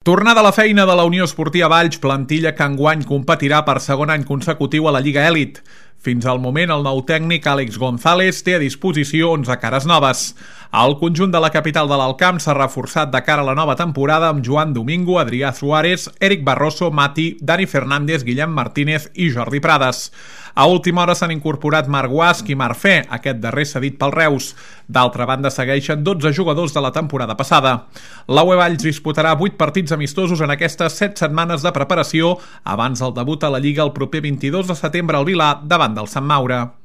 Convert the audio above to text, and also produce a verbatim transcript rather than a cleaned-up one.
Tornada a la feina de la Unió Esportiva Valls, plantilla que enguany competirà per segon any consecutiu a la Lliga Elit. Fins al moment, el nou tècnic Àlex González té a disposició onze cares noves. El conjunt de la capital de l'Alt Camp s'ha reforçat de cara a la nova temporada amb Joan Domingo, Adrià Suárez, Eric Barroso, Mati, Dani Fernández, Guillem Martínez i Jordi Prades. A última hora s'han incorporat Marc Guasch i Marc Fe, aquest darrer cedit pel Reus. D'altra banda, segueixen dotze jugadors de la temporada passada. La U E Valls disputarà vuit partits amistosos en aquestes set setmanes de preparació abans del debut a la Lliga el proper vint-i-dos de setembre al Vilar davant del Sant Maure.